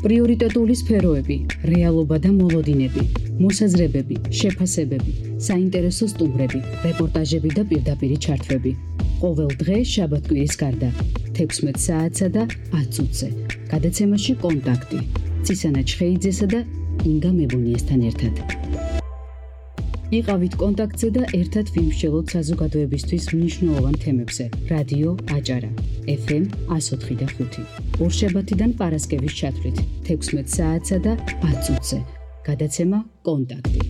პრიორიტეტული სფეროები, რეალობა და მოლოდინები, მოსაზრებები, შეფასებები, საინტერესო სტუმრები, რეპორტაჟები და პირდაპირი ჩართვები. ყოველ დღე შაბათ-კვირის გარდა 16 საათსა და 10 წუთზე. გადაცემაში კონტაქტი. ცისანა ჩხეიძესა და ინგა მებუნიესთან ერთად. იყავით კონტაქტზე და ერთად ვიმსჯელოთ საზოგადოებისთვის მნიშვნელოვან თემებზე. რადიო აჭარა, FM 104.5. ორშაბათიდან პარასკევის ჩათვლით 16 საათსა და 10 წუთზე. გადაცემა კონტაქტი.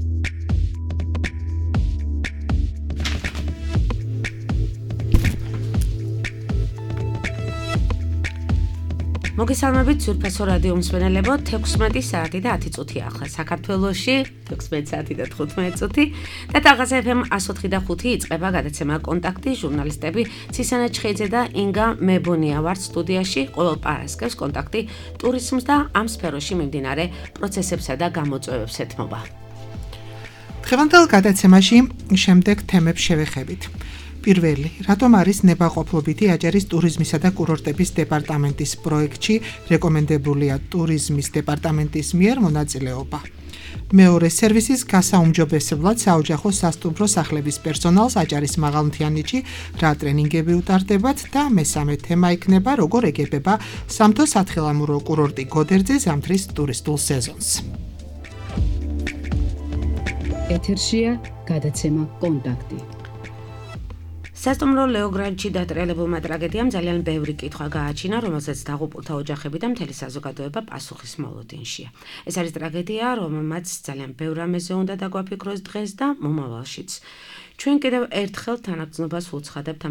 მოგესალმებით ძვირფასო რადიო მსმენელებო, 16 საათი და 10 წუთი ახლა საქართველოში, 16 საათი და 15 წუთი და თაღაზე FM 104.5 იწყება გადაცემა კონტაქტი. ჟურნალისტები ცისანა ჩხეიძე და ინგა მებონია ვართ სტუდიაში. ყოველ პარასკევს კონტაქტი ტურიზმს და ამ სფეროში მიმდინარე პროცესებსა და გამოწვევებს ეთმობა. დღევანდელ გადაცემაში შემდეგ თემებს შევეხებით. პირველი, რატომ არის ნებაყოფლობითი აჭარის ტურიზმისა და კურორტების დეპარტამენტის პროექტში რეკომენდებულია ტურიზმის დეპარტამენტის მიერ მონაწილეობა. მეორე, სერვისის გასაუმჯობესებლად საოჯახო სასტუმრო სახლების პერსონალს აჭარის მაღალმთიანეთში რა ტრენინგები უტარდებათ და მესამე თემა იქნება როგორ ეგებება სამთო სათხილამურო კურორტი გოდერძე ზამთრის ტურისტულ სეზონს. ეთერშია გადაცემა კონტაქტი. სასტუმრო ლეოგრანდში დატრიალებულმა ტრაგედიამ ძალიან ბევრი კითხვა გააჩინა, რომელსაც დაღუპულთა ოჯახები და მთელი საზოგადოება პასუხის მოლოდინშია. ეს არის ტრაგედია, რომელმაც ძალიან ბევრ რამეზე უნდა დაგვაფიქროს დღეს და მომავალშიც. ჩვენ კიდევ ერთხელ თანაგრძნობას ვუცხადებთ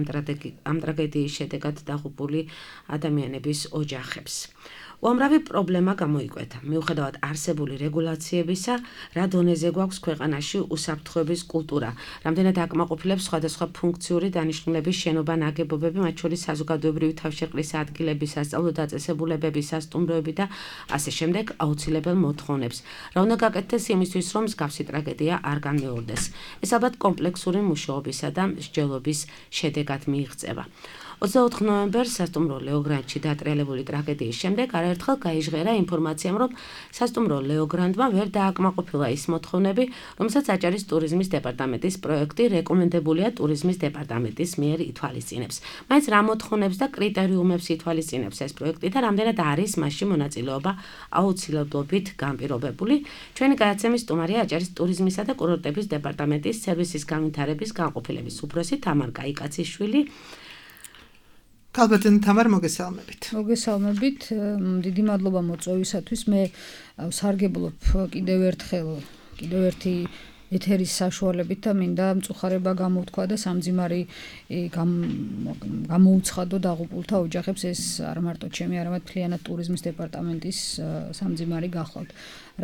ამ ტრაგედიის შედეგად დაღუპული ადამიანების ოჯახებს. უამრავი პრობლემა გამოიკვეთა. მიუხედავად არსებული რეგულაციებისა, რა დონეზე გვაქვს ქვეყანაში უსაფრთხოების კულტურა, რამდენად აკმაყოფილებს სხვადასხვა ფუნქციური დანიშნულების შენობა ნაგებობები, მათ შორის საზოგადოებრივი თავშეყრის ადგილები, სასწავლო დაწესებულებები, სასტუმროები და ასე შემდეგ აუცილებელ მოთხოვნებს. რა უნდა გაკეთდეს იმისთვის, რომ მსგავსი ტრაგედია არ განმეორდეს? ეს ალბათ კომპლექსური მუშაობისა და მსჯელობის შედეგად მიიღწევა. 24 ნოემბერს სასტუმრო ლეოგრანდში დატრიალებული ტრაგედიის შემდეგ არაერთხელ გაიჟღერა ინფორმაციამ, რომ სასტუმრო ლეოგრანდმა ვერ დააკმაყოფილა ის მოთხოვნები, რომელსაც აჭარის ტურიზმის დეპარტამენტის პროექტი რეკომენდებულია ტურიზმის დეპარტამენტის მიერ ითვალისწინებს. მაინც რა მოთხოვნებს და კრიტერიუმებს ითვალისწინებს ეს პროექტი და რამდენად არის მასში მონაწილეობა აუცილებლობით განპირობებული? ჩვენი გადაცემის სტუმარია აჭარის ტურიზმისა და კურორტების დეპარტამენტის სერვისის განვითარების განყოფილების უფროსი თამარ კაიკაციშვილი. Kalbatan Tamar მოგესალმებით. მოგესალმებით. დიდი მადლობა მოწვევისათვის. მე სარგებლობ კიდევ ერთი ეთერის საშუალებით და მინდა მწუხარება გამოვთქვა და სამძიმარი გამოუცხადო დაღუპულთა ოჯახებს. ეს არ მარტო ჩემი, არამედ მთლიანად ტურიზმის დეპარტამენტის სამძიმარი გახლავთ.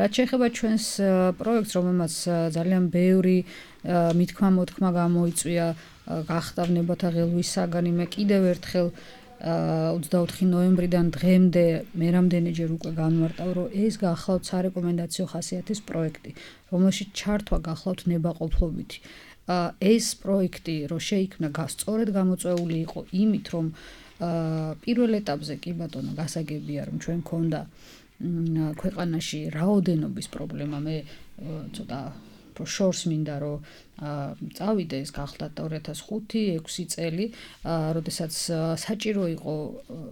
რაც შეეხება ჩვენს პროექტს, რომელმაც ძალიან ბევრი მითქმა-მოთქმა გამოიწვია, გახდა ნებათა ღელვის საგანი, მე კიდევ ერთხელ 24 ნოემბრიდან დღემდე მე რამდენიჯერ უკვე განმარტავ, რომ ეს გახლავთ სარეკომენდაციო ხასიათის პროექტი, რომელშიც ჩართვა გახლავთ ნებაყოფლობითი. ეს პროექტი რო შეიქმნა, სწორედ გამოწვეული იყო იმით, რომ პირველ ეტაპზე კი ბატონო გასაგებია, რომ ჩვენ ქონდა ქვეყანაში რაოდენობის პრობლემა. მე ცოტა შორს მინდა რომ წავიდე, ეს გახდა 2005-6 წელი, როდესაც საჭირო იყო,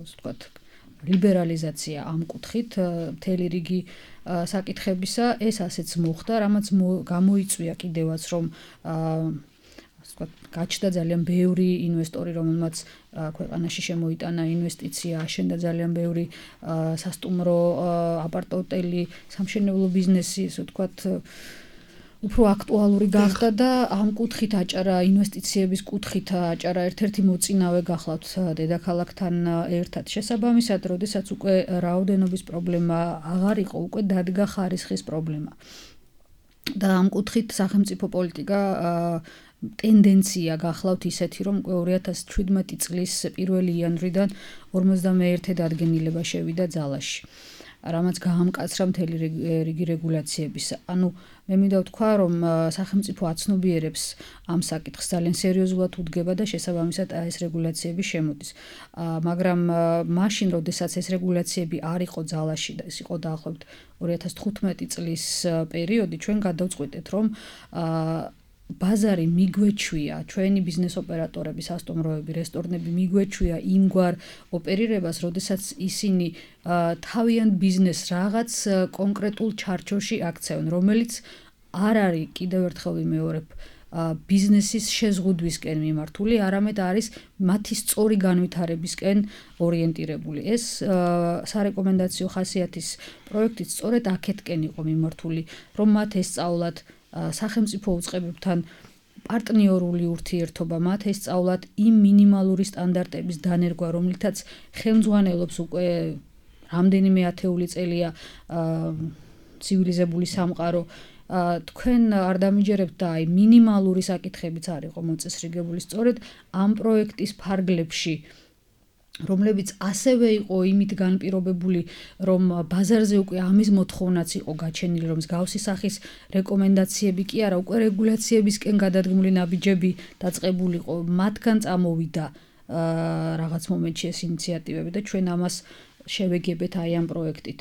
ასე ვთქვათ, ლიბერალიზაცია ამ კუთხით მთელი რიგი საკითხებისა. ეს ასეც მოხდა, რამაც გამოიწვია კიდევაც, რომ გაჩნდა ძალიან ბევრი ინვესტორი, რომელმაც ქვეყანაში შემოიტანა ინვესტიცია, აშენდა ძალიან ბევრი სასტუმრო, აპარტ-ოტელი, სამშენებლო ბიზნესი, ასე ვთქვათ, უფრო აქტუალური გახდა და ამ კუთხით აჭარა, ინვესტიციების კუთხით აჭარა ერთ-ერთი მოწინავე გახლავთ დედაქალაქთან ერთად. შესაბამისად, როდესაც უკვე რაოდენობის პრობლემა აღარ იყო, უკვე დადგა ხარისხის პრობლემა. და ამ კუთხით სახელმწიფო პოლიტიკა ტენდენცია გახლავთ ისეთი, რომ 2017 წლის 1 იანვრიდან 51 დადგენილება შევიდა ძალაში. რამაც გაამკაცრა მთელი რიგი რეგულაციების. ანუ მე მინდა ვთქვა, რომ სახელმწიფო აცნობიერებს ამ საკითხს ძალიან სერიოზულად უდგება და შესაბამისად ეს რეგულაციები შემოდის. მაგრამ მაშინ, როდესაც ეს რეგულაციები არ იყო ძალაში და ეს იყო დაახლოებით 2015 წლის პერიოდი, ჩვენ გადავწყვიტეთ, რომ ბაზარი მიგვეჩვია, ჩვენი ბიზნეს ოპერატორები, სასტუმროები, რესტორნები მიგვეჩვია იმგვარ ოპერირებას, როდესაც ისინი თავიანთ ბიზნესს რაღაც კონკრეტულ ჩარჩოში აქცევენ, რომელიც არ არის კიდევ ერთხელ ვიმეორებ ბიზნესის შეზღუდვისკენ მიმართული, არამედ არის მათი სწორი განვითარებისკენ ორიენტირებული. ეს სარეკომენდაციო ხასიათის პროექტიც სწორედ აქეთკენ იყო მიმართული, რომ მათ ესწავლათ სახელმწიფო უწყებებთან პარტნიორული ურთიერთობა, მათ ესწავლათ იმ მინიმალური სტანდარტების დანერგვა, რომლითაც ხელმძღვანელობს უკვე რამდენიმე ათეული წელია ცივილიზებული სამყარო. თქვენ არ დამიჯერებთ და აი მინიმალური საკითხებიც არ იყო მოწესრიგებული სწორედ ამ პროექტის ფარგლებში, რომლებიც ასევე იყო იმით განპირობებული, რომ ბაზარზე უკვე ამის მოთხოვნაც იყო გაჩენილი, რომ მსგავსი სახის რეკომენდაციები კი არა, უკვე რეგულაციებისკენ გადადგმული ნაბიჯები დაწყებულიყო, მათგან წამოვიდა რაღაც მომენტში ეს ინიციატივები და ჩვენ ამას შევეგებეთ აი ამ პროექტით.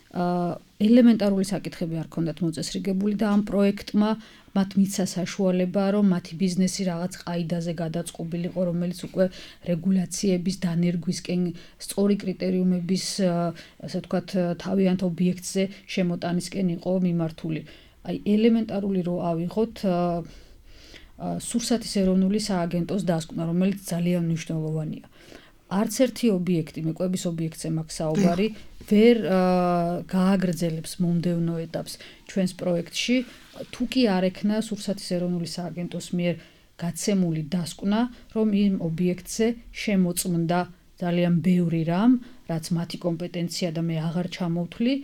ელემენტარული საკითხები არ ქონდათ მოწესრიგებული და ამ პროექტმა მათ მიცა საშუალება, რომ მათი ბიზნესი რაღაც ყაიდაზე გადაწყობილიყო, რომელიც უკვე რეგულაციების დანერგვისკენ სწორი კრიტერიუმების, ასე ვთქვათ, თავიანთ ობიექტზე შემოტანისკენ იყო მიმართული. აი ელემენტარული რო ავიღოთ სურსათის ეროვნული სააგენტოს დასკვნა, რომელიც ძალიან მნიშვნელოვანია. არც ერთი ობიექტი, მეკვების ობიექტზე მაქვს საუბარი, ვერ გააგრძელებს მომდევნო ეტაპს ჩვენს პროექტში, თუ კი არ ექნა სურსათის ეროვნული სააგენტოს მიერ გაცემული დასკვნა, რომ იმ ობიექტზე შემოწმდა ძალიან ბევრი რამ, რაც მათი კომპეტენცია და მე აღარ ჩამოვთვლი,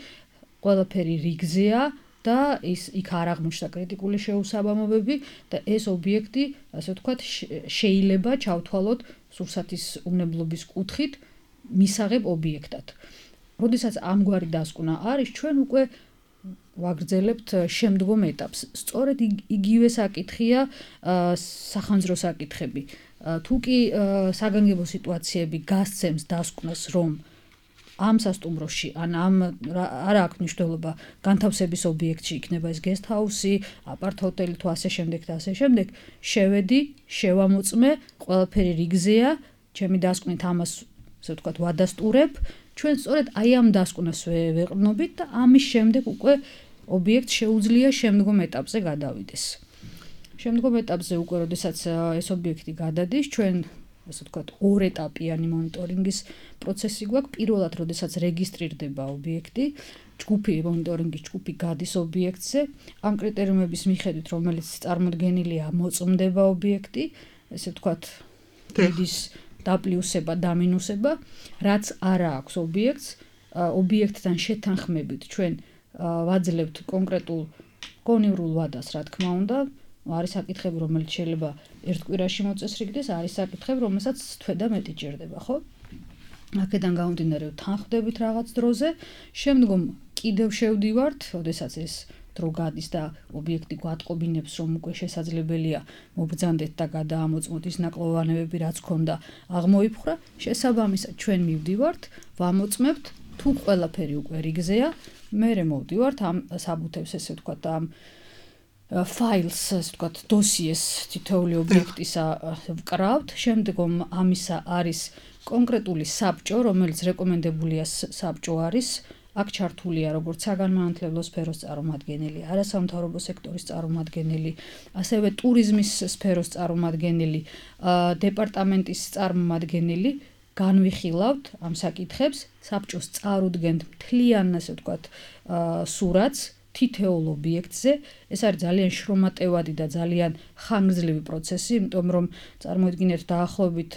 ყველაფერი რიგზეა და იქ არ აღმოჩნდა კრიტიკული შეუსაბამობები და ეს ობიექტი, ასე ვთქვათ, შეიძლება ჩავთვალოთ სურსათის უნებლობის კუთხით მისაღებ ობიექტად. როდესაც ამგვარი დასკვნა არის, ჩვენ უკვე ვაგრძელებთ შემდგომ ეტაპს. სწორედ იგივე საკითხია სახანძრო საკითხები. თუ კი საგანგებო სიტუაციები გასცემს დასკვნას, რომ ამ სასტუმროში ან არ აქვს მნიშვნელობა განთავსების ობიექტში იქნება ეს guest house-ი, აპართ-ჰოტელი თუ ასე შემდეგ და ასე შემდეგ, შევედი, შევამოწმე, ყველაფერი რიგზეა, ჩემი დასკვნით ამას, ასე ვთქვათ, ვადასტურებ, ჩვენ სწორედ აი ამ დასკვნას ვეყრდნობით და ამის შემდეგ უკვე ობიექტს შეუძლია შემდგომ ეტაპზე გადავიდეს. შემდგომ ეტაპზე უკვე, როდესაც ეს ობიექტი გადადის, ჩვენ ასე ვთქვათ, ორეტაპიანი მონიტორინგის პროცესი გვაქვს. პირველად, როდესაც რეგისტრირდება ობიექტი, მონიტორინგის ჯგუფი გადის ობიექტზე, ამ კრიტერიუმების მიხედვით, რომელიც წარმოდგენილია, მოწმდება ობიექტი, ესე ვთქვათ, დიდი დაპლუსება, დამინუსება, რაც არა აქვს ობიექტს, ობიექტთან შეთანხმებით ჩვენ ვაძლევთ კონკრეტულ გონივრულ ვადას, რა თქმა უნდა. არის საკითხები, რომელიც შეიძლება ერთ კვირაში მოწესრიგდეს, არის საკითხები, რომელსაც თვე და მეტი ჭირდება, ხო? აქედან გამომდინარე ვთანხმდებით რაღაც დროზე, შემდგომ კიდევ შევდივართ, როდესაც ეს დრო გადის და ობიექტი გვატყობინებს, რომ უკვე შესაძლებელია მობრძანდეთ და გადაამოწმოთ ის ნაკლოვანებები, რაც ქონდა აღმოიფხვრა, შესაბამისად ჩვენ მივდივართ, ვამოწმებთ, თუ ყველაფერი უკვე რიგზეა, მერე მოვდივართ ამ საბუთებს, ესე ვთქვათ, ამ ფაილს, ასე ვთქვათ, დოსიეს თითოეული ობიექტისა ვკრავთ, შემდგომ ამისა არის კონკრეტული საბჭო, რომელიც რეკომენდებულია საბჭო არის, აქ ჩართულია როგორც საგანმანათლებლო სფეროს წარმომადგენელი, არასამთავრობო სექტორის წარმომადგენელი, ასევე ტურიზმის სფეროს წარმომადგენელი, დეპარტამენტის წარმომადგენელი, განვიხილავთ ამ საკითხებს, საბჭოს წარუდგენთ მთლიან, ასე ვთქვათ, სურათს თითოეულ ობიექტზე. ეს არის ძალიან შრომატევადი და ძალიან ხანგრძლივი პროცესი, იმიტომ რომ წარმოიდგინეთ დაახლოებით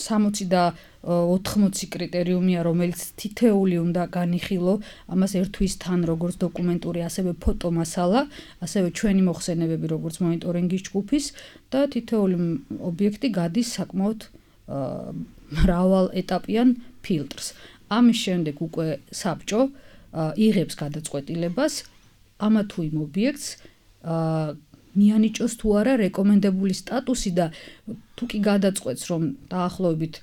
60 და 80 კრიტერიუმია, რომელიც თითეული უნდა განიხილო, ამას ერთვის თან როგორც დოკუმენტური, ასევე ფოტომასალა, ასევე ჩვენი მოხსენებები როგორც მონიტორინგის ჯგუფის და თითოეული ობიექტი გადის საკმაოდ მრავალ ეტაპიან ფილტრს. ამის შემდეგ უკვე საბჭო იღებს გადაწყვეტილებას ამა თუ იმ ობიექტს მიანიჭოს თუ არა რეკომენდებული სტატუსი და თუ კი გადაწყვეტს რომ დაახლოებით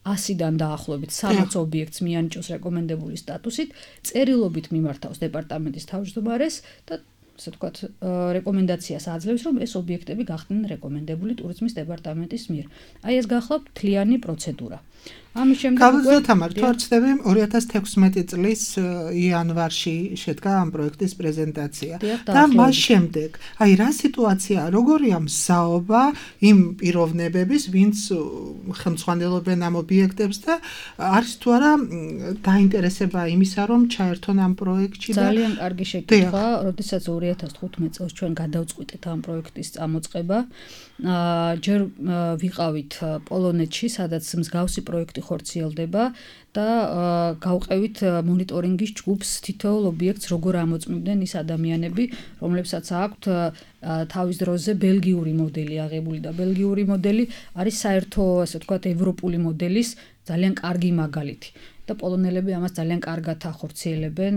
100-დან დაახლოებით 60 ობიექტს მიანიჭოს რეკომენდებული სტატუსით, წერილობით მიმართავს დეპარტამენტის თავმჯდომარეს და ასე ვთქვათ, რეკომენდაციას აძლევს, რომ ეს ობიექტები გახდნენ რეკომენდებული ტურიზმის დეპარტამენტის მიერ. აი ეს გახლავთ მთლიანი პროცედურა. ამის შემდეგ გავუძოთ თამარ, თუ არ ვცდები 2016 წლის იანვარში შედგა ამ პროექტის პრეზენტაცია და მას შემდეგ, აი რა სიტუაცია, როგორია მსაობა იმ პიროვნებების, ვინც ხელმძღვანელობენ ამ ობიექტებს და არის თუ არა დაინტერესება იმისა, რომ ჩაერთონ ამ პროექტში და ძალიან კარგი შეკითხვა, როდესაც 2015 წელს ჩვენ გადავწყვიტეთ ამ პროექტის წამოწყება, ჯერ ვიყავით პოლონეთში, სადაც მსგავსი პროექტი ხორციელდება და გავყევით მონიტორინგის ჯგუფს თითოეულ ობიექტს როგორ ამოწმებდნენ ის ადამიანები, რომლებსაც აქვთ თავის დროზე ბელგიური მოდელი აღებული და ბელგიური მოდელი არის საერთო, ასე ვთქვათ, ევროპული მოდელის ძალიან კარგი მაგალითი. და პოლონელები ამას ძალიან კარგად ახორციელებენ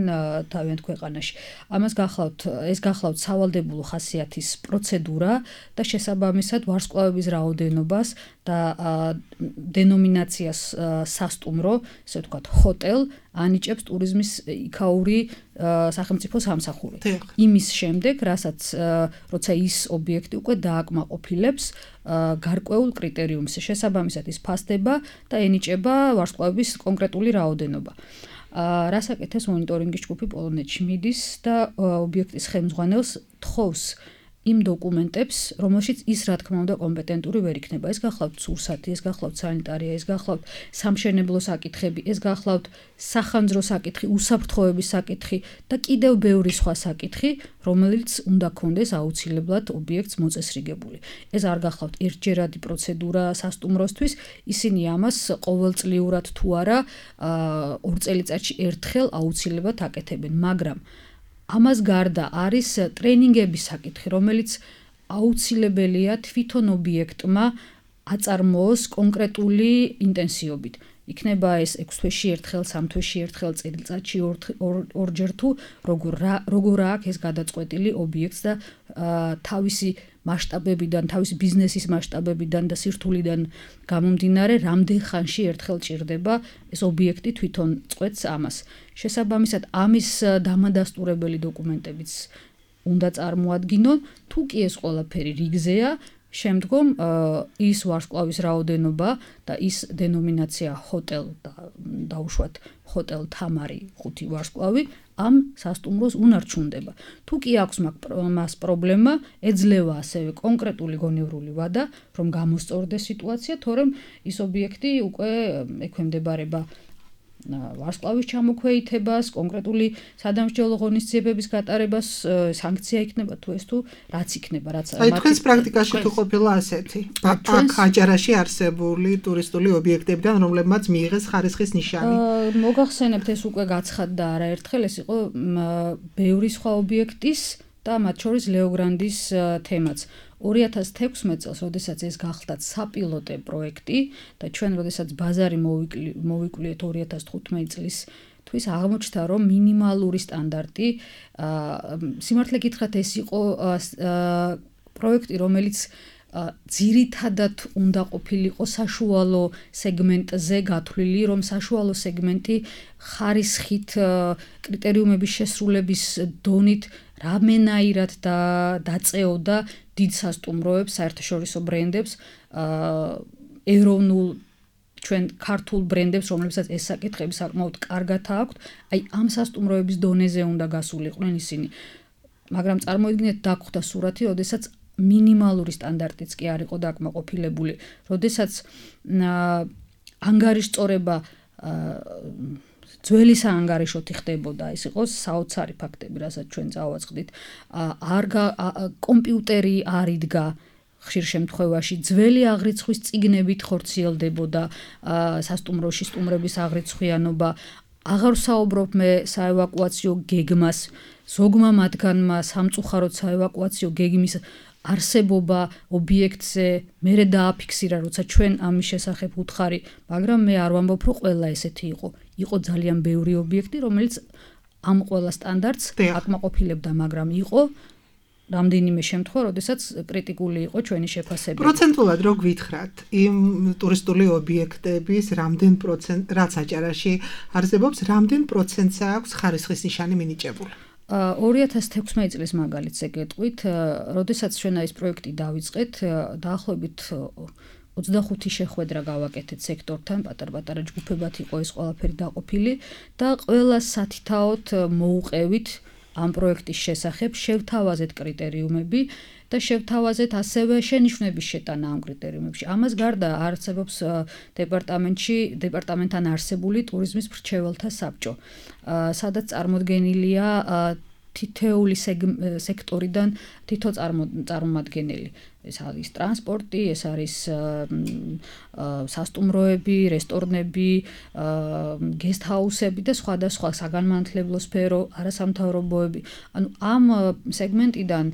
თავიანთ ქვეყანაში. ამას ეს გახლავთ სავალდებულო ხასიათის პროცედურა და შესაბამისად ვარსკვლავების რაოდენობას და დენომინაციას სასტუმრო, ესე ვთქვათ, ჰოტელ ანიჭებს ტურიზმის იქაური სახელმწიფო სამსახური. იმის შემდეგ, როცა ის ობიექტი უკვე დააკმაყოფილებს გარკვეულ კრიტერიუმს, შესაბამისად ის ფასდება და ენიჭება ვარსკვლავების კონკრეტული რაოდენობა. რას აკეთებს მონიტორინგის ჯგუფი პოლონეთში მიდის და ობიექტის ხელმძღვანელს თხოვს იმ დოკუმენტებს, რომელშიც ის რა თქმა უნდა კომპეტენტური ვერ იქნება. ეს გახლავთ სურსათი, ეს გახლავთ სანიტარია, ეს გახლავთ სამშენებლო საკითხები, ეს გახლავთ სახანძრო საკითხი, უსაფრთხოების საკითხი და კიდევ ბევრი სხვა საკითხი, რომელიც უნდა კონდეს აუცილებლად ობიექტს მოწესრიგებული. ეს არ გახლავთ ერთჯერადი პროცედურა სასტუმროსთვის, ისინი ამას ყოველწლიურად თუ არა 2 წელიწადში ერთხელ აუცილებლად აკეთებენ, მაგრამ ამას გარდა არის ტრენინგების საკითხი, რომელიც აუცილებელია თვითონ ობიექტმა აწარმოოს კონკრეტული ინტენსივობით. იქნება ეს 6 თვეში ერთხელ, 3 თვეში ერთხელ, წელიწადში ორჯერ თუ როგორ აქვს ეს გადაწყვეტილი ობიექტს და თავისი მასშტაბებიდან, თავისი ბიზნესის მასშტაბებიდან და სირთულიდან გამომდინარე, რამდენ ხანში ერთხელ ჭირდება ეს ობიექტი თვითონ წყვეტს ამას. შესაბამისად, ამის დამადასტურებელი დოკუმენტებიც უნდა წარმოადგინონ, თუ კი ეს ყველაფერი რიგზეა, შემდგომ ის ვარსკვლავის რაოდენობა და ის დენომინაცია ჰოტელ და დაუშვათ ჰოტელ თამარი 5 ვარსკვლავი ამ სასტუმროს უნარჩუნდება. თუ კი აქვს მას პრობლემა, ეძლევა ასევე კონკრეტული გონივრული ვადა, რომ გამოსწორდეს სიტუაცია, თორემ ის ობიექტი უკვე ექვემდებარება ვარსკვლავის ჩამოქვეითებას, კონკრეტული სადამსჯელო ღონისძიებების გატარებას, სანქცია იქნება თუ ეს თუ რაც იქნება, რაც აი თქვენს პრაქტიკაში თუ ყოფილა ასეთი აქ აჯარაში არსებული ტურისტული ობიექტებიდან, რომლებმაც მიიღეს ხარისხის ნიშანი. მოგახსენებთ, ეს უკვე გაცხადდა არაერთხელ, ეს იყო ბევრი სხვა ობიექტის და მათ შორის ლეოგრანდის თემაც. 2016 წელს, როდესაც ეს გახდა საპილოტე პროექტი და ჩვენ როდესაც ბაზარი მოვიკვლიეთ 2015 წლის თვის აღმოჩნდა, რომ მინიმალური სტანდარტი, სიმართლე გითხრათ, ეს იყო პროექტი, რომელიც ძირითადად უნდა ყოფილიყო საშუალო სეგმენტზე გათვლილი, რომ საშუალო სეგმენტი ხარისხით, კრიტერიუმების შესრულების დონით რამენაირად დაწეოდა დიდ სასტუმროებს, საერთაშორისო ბრენდებს, ეროვნულ ჩვენ ქართულ ბრენდებს, რომლებსაც ეს საკითხები საკმაოდ კარგად აქვთ, აი ამ სასტუმროების დონეზე უნდა გასულიყვნენ ისინი. მაგრამ წარმოიდგინეთ, დაგხვდა სურათი, როდესაც მინიმალური სტანდარტიც კი არ იყო დაკმაყოფილებული, როდესაც ანგარის სწორება ძველი საანგარიშოთი ხდებოდა, ეს იყო საოცარი ფაქტები, რასაც ჩვენ წავაწყდით. კომპიუტერი არ იდგა ხშირ შემთხვევაში, ძველი აღრიცხვის წიგნებით ხორციელდებოდა სასტუმროში სტუმრების აღრიცხვიანობა. აღარ ვსაუბრობ მე საევაკუაციო გეგმას, ზოგმა მათგანმა სამწუხაროდ საევაკუაციო გეგმის არსებობა ობიექტზე მერე დააფიქსირა, როცა ჩვენ ამის შესახებ უთხარი, მაგრამ მე არ ვამბობ, რომ ყველა ესეთი იყო. იყო ძალიან ბევრი ობიექტი, რომელიც ამ ყველა სტანდარტს აკმაყოფილებდა, მაგრამ იყო რამდენიმე შემთხვევა, როდესაც კრიტიკული იყო ჩვენი შეფასება. პროცენტულად რო გვითხრათ, იმ ტურისტული ობიექტების რამდენ პროცენტ, რაც აჭარაში არსებობს, რამდენ პროცენტს აქვს ხარისხის ნიშანი მინიჭებული? 2016 წლის მაგალითს ეკეთყვით, როდესაც ჩვენ ეს პროექტი დავიწყეთ, დაახლოებით 25 შეხვედრა გავაკეთეთ სექტორთან, პატარ-პატარა ჯგუფებად იყო ეს ყველაფერი დაყოფილი და ყველა სათითაოდ მოუყევით ამ პროექტის შესახებ, შევთავაზეთ კრიტერიუმები და შევთავაზეთ ასევე შენიშვნების შეტანა ამ კრიტერიუმებში. ამას გარდა არსებობს დეპარტამენტთან არსებული ტურიზმის მრჩეველთა საბჭო, სადაც წარმოდგენილია თითეული სექტორიდან თითო წარმომადგენელი. ეს არის ტრანსპორტი, ეს არის სასტუმროები, რესტორნები, გესტჰაუსები და სხვადასხვა საგანმანათლებლო სფერო, არასამთავრობოები. ანუ ამ სეგმენტიდან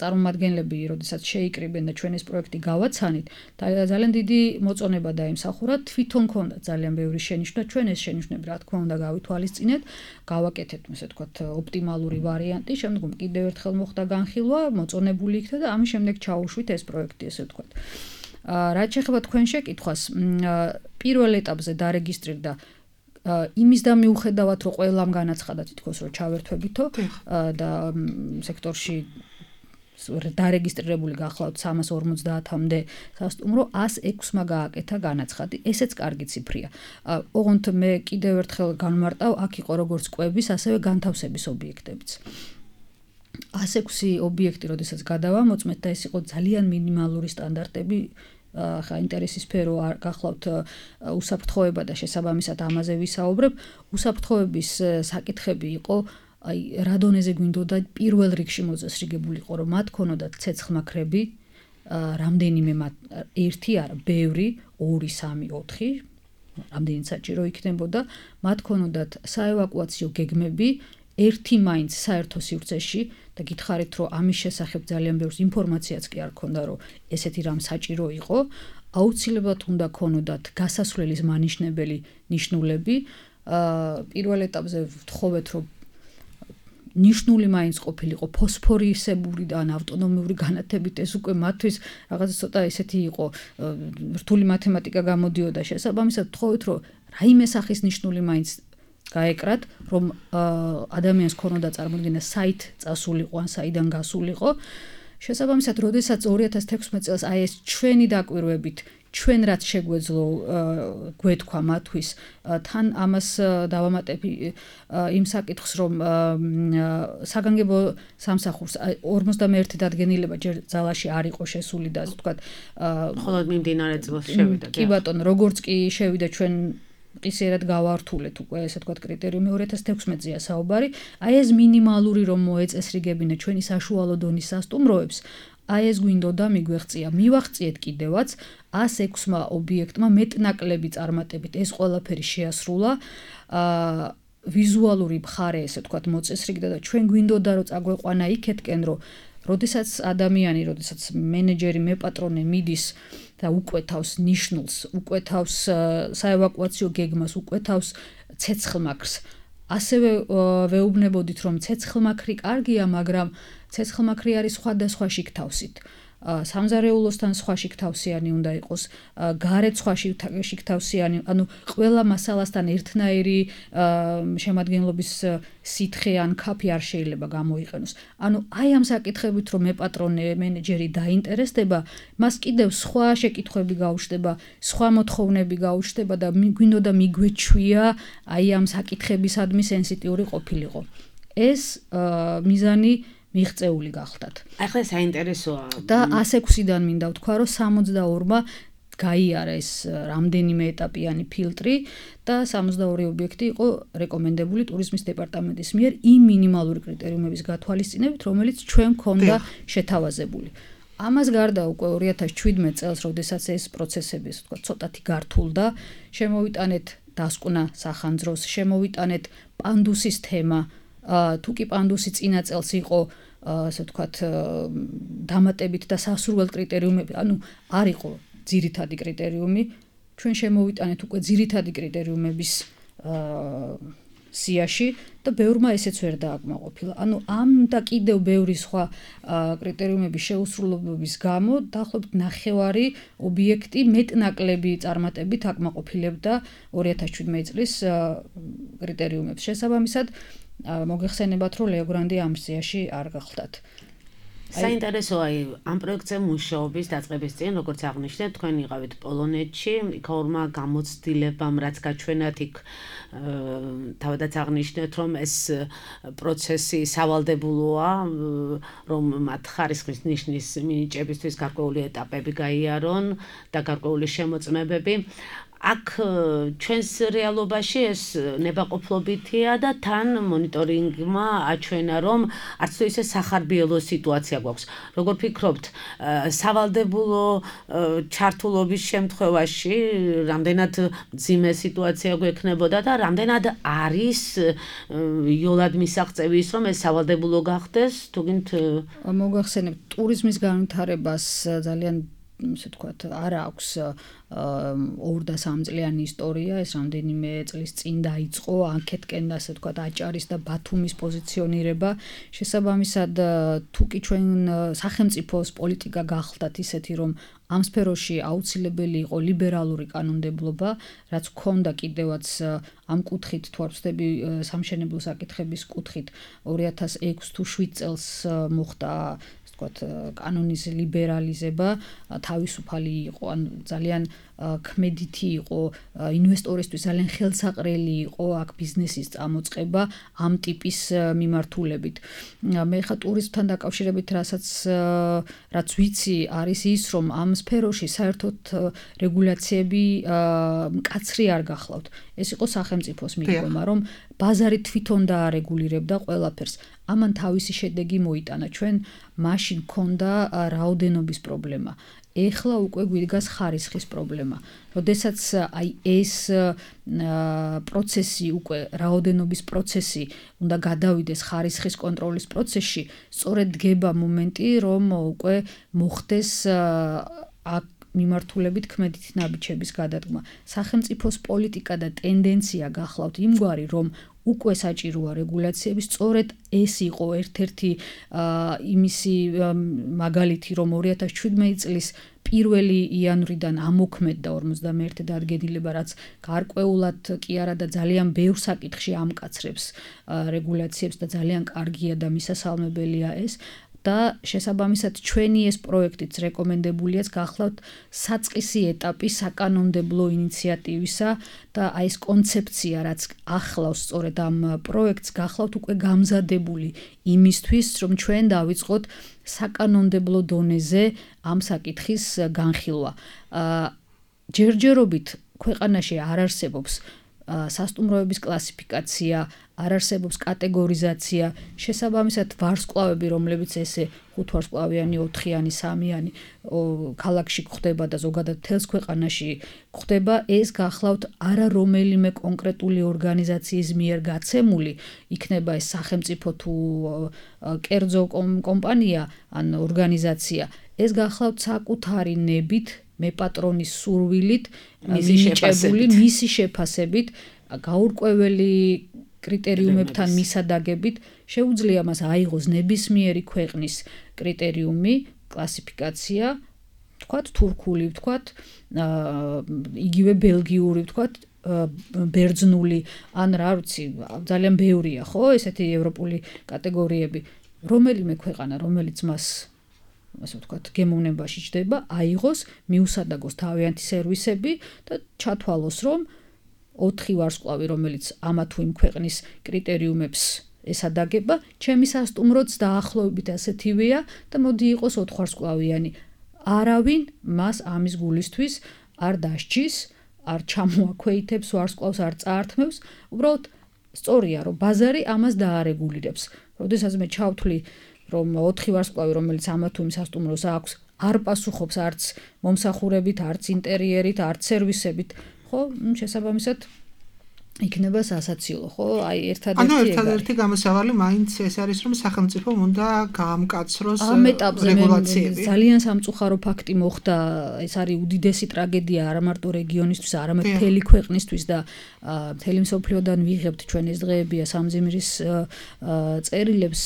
წარმომადგენლები, როდესაც შეიკრიბნენ და ჩვენ ეს პროექტი გავაცანით, ძალიან დიდი მოწონება დაიმსახურა, თვითონ ქონდა ძალიან ბევრი შენიშვნა, ჩვენ ეს შენიშვნები რა თქმა უნდა გავითვალისწინეთ, გავაკეთეთ, ასე ვთქვათ, ოპტიმალური ვარიანტი, შემდგომ კიდევ ერთხელ მოხდა განხილვა, მოწონებული იქნა და ამის შემდეგ ჩაუშვით ეს პროექტი, ასე ვთქვათ. რაც შეეხება თქვენ შეკითხვას, პირველ ეტაპზე დარეგისტრირდა იმის და მიუხედავად, რომ ყველამ განაცხადა თითქოს რომ ჩავერთვებითო და სექტორში დარეგისტრირებული გახლავთ 350-მდე სასტუმრო, 106-მა გააკეთა განაცხადი. ესეც კარგი ციფრია. ოღონდ მე კიდევ ერთხელ განმარტავ, აქ იყო როგორც კვების, ასევე განთავსების ობიექტებიც. 106 ობიექტი, როდესაც გადავამოწმეთ და ეს იყო ძალიან მინიმალური სტანდარტები, ხა ინტერესის სფერო არ გახლავთ უსაფრთხოება და შესაბამისად ამაზე ვისაუბრებ. უსაფრთხოების საკითხები იყო აი რა დონეზე გვინდოდა პირველ რიგში მოწესრიგებულიყო, რომ მათ ქონოდათ ცეცხლმაქრები, რამდენიმე მათ, ერთი არა, ბევრი, 2, 3, 4, რამდენი საჭირო იქნებოდა, მათ ქონოდათ საევაკუაციო გეგმები, ერთი მაინც საერთო სივრცეში და გითხარით, რომ ამის შესახებ ძალიან ბევრს ინფორმაციაც კი არ ქონდა, რომ ესეთი რამ საჭირო იყო, აუცილებლად უნდა ქონოდათ გასასვლელის მანიშნებელი ნიშნულები. პირველ ეტაპზე ვთხოვეთ, რომ ნიშნული მაინც ყოფილიყო ფოსფორისებური და ავტონომიური განათებით, ეს უკვე მათთვის რაღაც ცოტა ესეთი იყო, რთული მათემატიკა გამოდიოდა შესაბამისად, ვთხოვეთ, რომ რაიმე სახის ნიშნული მაინც გაეკრათ, რომ ადამიანს ქონოდა წარმოდგენა საით წასულიყო ან საიდან გასულიყო. შესაბამისად, როდესაც 2016 წელს აი ეს ჩვენი დაკვირვებით ჩვენ რაც შეგვეძლო გვეთქვა მათთვის, თან ამას დავამატებ იმ საკითხს, რომ საგანგებო სამსახურს 51 დადგენილება ჯერ ძალაში არ იყო შესული და ასე ვთქვათ, მხოლოდ მიმდინარე წელს შევიდა. კი ბატონო, როგორც კი შევიდა ჩვენ ყისერად გავართულეთ უკვე ესე ვთქვათ კრიტერიუმი 2016-ზეა საუბარი. აი ეს მინიმალური რომ მოეწესრიგებინა ჩვენი საშუალო დონის სასტუმროებს, აი ეს გვინდოდა მიგვეღწია. მივაღწიეთ კიდევაც 106-მა ობიექტმა მეტნაკლები წარმატებით ეს ყველაფერი შეასრულა. ვიზუალური მხარე ესე ვთქვათ მოწესრიგდა და ჩვენ გვინდოდა რომ წაგვეყვანა იქეთკენ, რომ როდესაც ადამიანი, როდესაც მენეჯერი, მეპატრონე მიდის და უკვეთავს ნიშნულს, უკვეთავს საევაკუაციო გეგმას, უკვეთავს ცეცხლმაქრს. ასევე ვეუბნებოდით, რომ ცეცხლმაქრი კარგია, მაგრამ ცეცხლმაქრი არის სხვადასხვა შიგთავსით. სამზარეულოსთან სხვა შიგთავსიანი უნდა იყოს, გარეთ სხვა შიგთავსიანი, ანუ ყველა მასალასთან ერთნაირი შემადგენლობის სითხე ან ქაფი არ შეიძლება გამოიყენოს. ანუ აი ამ საკითხებით რომ მეპატრონე, მენეჯერი დაინტერესდება, მას კიდევ სხვა შეკითხვები გაუჩნდება, სხვა მოთხოვნები გაუჩნდება და გვინდოდა მიგვეჩვია აი ამ საკითხებისადმი სენსიტიური ყოფილიყო. ეს მიზანი მიღწეული გახდათ. ახლა საინტერესოა. და 106-დან მინდა ვთქვა, რომ 62-მა გაიარა ეს რამდენიმე ეტაპიანი ფილტრი და 62 ობიექტი იყო რეკომენდებული ტურიზმის დეპარტამენტის მიერ იმ მინიმალური კრიტერიუმების გათვალისწინებით, რომელიც ჩვენ გქონდა შეთავაზებული. ამას გარდა უკვე 2017 წელს, როდესაც ეს პროცესები, ასე ვთქვათ, ცოტათი გართულდა, შემოვიტანეთ დასკვნა სახანძროს, შემოვიტანეთ პანდუსის თემა. თუ კი პანდუსი წინა წელს იყო ასე ვთქვათ, დამატებით და სასურველ კრიტერიუმები, ანუ არ იყო ძირითადი კრიტერიუმი, ჩვენ შემოვიტანეთ უკვე ძირითადი კრიტერიუმების სიაში და ბევრმა ესეც ვერ დააკმაყოფილა. ანუ ამ და კიდევ ბევრი სხვა კრიტერიუმების შეუსრულებლობის გამო დაახლოებით 9 ობიექტი მეტნაკლები წარმატებით აკმაყოფილებდა 2017 წლის კრიტერიუმებს. შესაბამისად, მოგეხსენებათ, რომ ლეო გრანდი ამ სიაში არ გახლდათ. საინტერესოა ამ პროექტზე მუშაობის დაწყების წინ, როგორც აღნიშნეთ, თქვენ იყავით პოლონეთში, იქ ორმა გამოცდილებამ, რაც გაჩვენათ, იქ თავადაც აღნიშნეთ, რომ ეს პროცესი სავალდებულოა, რომ მათ ხარისხის ნიშნის მინიჭებისთვის გარკვეული ეტაპები გაიარონ და გარკვეული შემოწმებები. აქ ჩვენს რეალობაში ეს ნებაყოფლობითია და თან მონიტორინგმა აჩვენა, რომ არც თუ ისე სახარბიელო სიტუაცია გვაქვს. როგორ ფიქრობთ, სავალდებულო ჩართულობის შემთხვევაში რამდენად მძიმე სიტუაცია გვექნებოდა და რამდენად არის იოლად მისაღწევი ის, რომ ეს სავალდებულო გახდეს, თუგინთ მოგახსენებთ, ტურიზმის განვითარებას ძალიან ასე ვთქვათ, არ აქვს 2 და 3 წლიანი ისტორია, ეს რამდენიმე წლის წინ დაიწყო, ანკეტკენ ასე ვთქვათ, აჭარის და ბათუმის პოზიციონირება. შესაბამისად, თუკი ჩვენ სახელმწიფოს პოლიტიკა გახლდათ ისეთი, რომ ამ სფეროში აუცილებელი იყო ლიბერალური კანონმდებლობა, რაც ჰქონდა კიდევაც ამ კუთხით, თუ არ ვცდები, სამშენებლო საკითხების კუთხით 2006 თუ 7 წელს მოხდა კანონის ლიბერალიზება, თავისუფალი იყო, ან ძალიან ქმედითი იყო, ინვესტორისთვის ძალიან ხელსაყრელი იყო აქ ბიზნესის წამოწყება ამ ტიპის მიმართულებით. მე ხა ტურიზმთან დაკავშირებით რაც ვიცი, არის ის, რომ ამ სფეროში საერთოდ რეგულაციები მკაცრი არ გახლავთ. ეს იყო სახელმწიფოს მიდგომა, რომ ბაზარი თვითონ დაარეგულირებდა ყველაფერს. ამან თავისი შედეგი მოიტანა. ჩვენ მაშინ ქონდა რაოდენობის პრობლემა. ეხლა უკვე გვიდგას ხარისხის პრობლემა. როდესაც აი ეს პროცესი უკვე რაოდენობის პროცესი უნდა გადავიდეს ხარისხის კონტროლის პროცესში, სწორედ დგება მომენტი, რომ უკვე მოხდეს აქ მიმართულებით ქმედითი ნაბიჯების გადადგმა. სახელმწიფოს პოლიტიკა და ტენდენცია გახლავთ იმგვარი, რომ უკვე საჭიროა რეგულაციები, სწორედ ეს იყო ერთ-ერთი იმისი მაგალითი, რომ 2017 წლის 1 იანვრიდან ამოქმედდა 51 დადგენილება, რაც გარკვეულად კი არა და ძალიან ბევრ საკითხში ამკაცრებს რეგულაციებს და ძალიან კარგია და მისასალმებელია ეს. და შესაბამისად ჩვენი ეს პროექტიც რეკომენდებულიაც გახლავთ საწყისი ეტაპი საკანონმდებლო ინიციატივისა და აი ეს კონცეფცია, რაც ახლავს სწორედ ამ პროექტს, გახლავთ უკვე გამზადებული იმისთვის, რომ ჩვენ დავიწყოთ საკანონმდებლო დონეზე ამ საკითხის განხილვა. ჯერჯერობით ქვეყანაში არ არსებობს სასტუმროების კლასიფიკაცია, არ არსებობს კატეგორიზაცია, შესაბამისად ვარსკვლავები, რომლებიც ესე 5 ვარსკვლავიანი, 4-იანი, 3-იანი ქალაქში გვხდება და ზოგადად მთელს ქვეყანაში გვხდება, ეს გახლავთ არა რომელიმე კონკრეტული ორგანიზაციის მიერ გაცემული, იქნება ეს სახელმწიფო თუ კერძო კომპანია ან ორგანიზაცია, ეს გახლავთ საკუთარი ნებით, მეპატრონის სურვილით, მისი შეფასებით, გაურკვეველი კრიტერიუმებთან მისადაგებით, შეუძლია მას აიღოს ნებისმიერი ქვეყნის კრიტერიუმი, კლასიფიკაცია, ვთქვათ თურქული, ვთქვათ იგივე ბელგიური, ვთქვათ ბერძნული, ან რა ვიცი, ძალიან ბევრია, ხო, ესეთი ევროპული კატეგორიები. რომელიმე ქვეყანა, რომელიც მას ასე ვთქვათ, გემოვნებაში ჯდება, აიღოს, მიუსადაგოს თავიანთი სერვისები და ჩათვალოს, რომ 4 ვარსკვლავი, რომელიც ამა თუ იმ ქვეყნის კრიტერიუმებს ესადაგება, ჩემი სასტუმროც დაახლოებით ასეთივეა და მოდი იყოს 4 ვარსკვლავიანი. არავინ მას ამის გულისთვის არ დასჯის, არ ჩამოაქვეითებს ვარსკვლავს, არ წაართმევს, უბრალოდ სწორია, რომ ბაზარი ამას დაარეგულირებს. როდესაც მე ჩავთვლი, რომ 4 ვარსკვლავი, რომელიც ამა თუ იმ სასტუმროს აქვს, არ პასუხობს არც მომსახურებით, არც ინტერიერით, არც სერვისებით, ხო, შესაბამისად იქნება სასაცილო, ხო? აი ერთადერთი გამოსავალი მაინც ეს არის, რომ სახელმწიფომ უნდა გაამკაცროს ამ ეტაპზე რეგულაციები. ძალიან სამწუხარო ფაქტი მოხდა, ეს არის უდიდესი ტრაგედია არა მარტო რეგიონისთვის, არამედ მთელი ქვეყნისთვის და მთელი მსოფლიოდან ვიღებთ ჩვენ ეს დღეებია სამძიმრის წერილებს,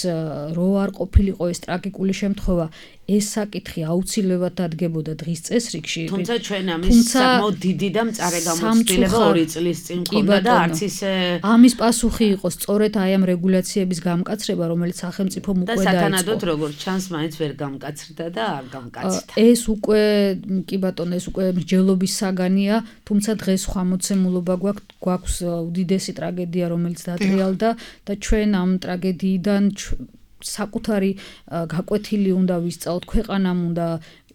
რო არ ყოფილიყო ეს ტრაგიკული შემთხვევა, ეს საკითხი აუცილებლად დადგებოდა დღის წესრიგში. თუმცა ჩვენ ამის საკმაოდ დიდი და მწარე გამოცდილება 2 წლის წინ მქონდა და არც ისე ამის პასუხი იყო სწორედ აი ამ რეგულაციების გამკაცრება, რომელიც სახელმწიფომ უკვე დაიწყო. და სათანადოდ როგორც ჩანს, მაინც ვერ გამკაცრდა და არ გამკაცდა. ეს უკვე კი ბატონო, ეს უკვე მსჯელობის საგანია, თუმცა დღეს სხვა მოცემულობა გვაქვს უდიდესი ტრაგედია, რომელიც დატრიალდა და ჩვენ ამ ტრაგედიიდან საკუთარი გაკვეთილი უნდა ვისწავლოთ, ქვეყანამ უნდა